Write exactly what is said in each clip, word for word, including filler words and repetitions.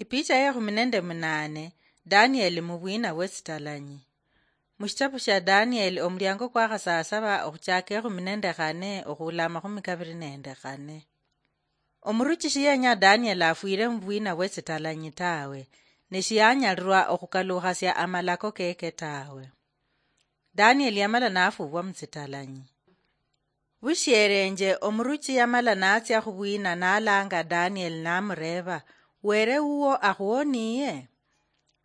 Ipicha ya ekhumi nende munane. Danieli mubwina bwetsitalanyi. Mushitabu shia Danieli, omuliango kwa khasasaba, okhuchaka ekhumi nende khane okhula amakhumi kabiri nende khane. Omuruchi shiyenya Danieli afwire mubwina bwetsitalanyi tawe, ne shiyanyalirwa okhukalukhasia amalako keke tawe. Danieli yamala nafubwa mutsitalanyi. Bushierenje, omuruchi yamala natsia khubwina nalanga Danieli namureeba, "Were wuwo akhuwoniye?"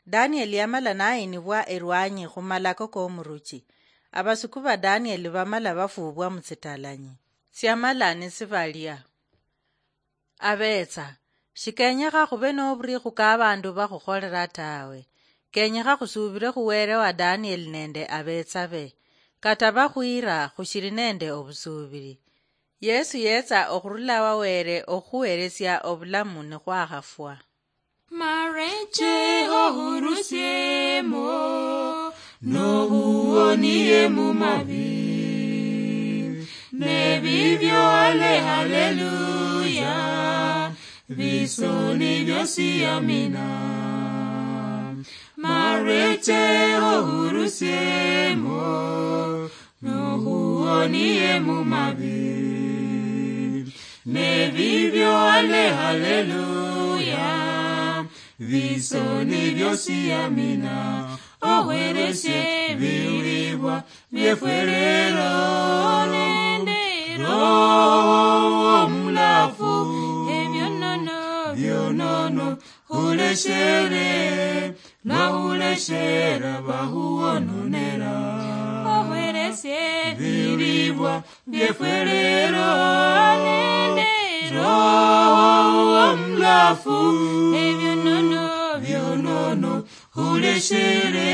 Danieli yamala nayinibwa erwanyi khumalako komuruchi. Abasuku ba Danieli bamala bafubwa mutsitalanyi. Tsiamala nisibalia. Abetsa, shikenyekha khube noburikhu ka abandu bakhukholera tawe. Kenyekha khusubire khu Were wa Danieli nende abetsa be. Kata bakhwira, khushiri nende obusubiri. Yesu yetsa okhurula wa Were okhuheresia obulamu nikhwakhafwa. Mareche ohurusiemo, nohuonie mumabi. Nebibyo ale haleluya, bisoni byosi amina. Mareche ohurusiemo, nohuonie mumabi. Nebibyo ale haleluya, bisoni byosi amina. Ohweresie bilibwa byefwerero nende Roho omulafu, ebyonono byonono huleshere, nahuleshera bahuwononera. Ohweresie bilibwa byefwerero nende Roho omulafu, ebyonono byonono huleshere.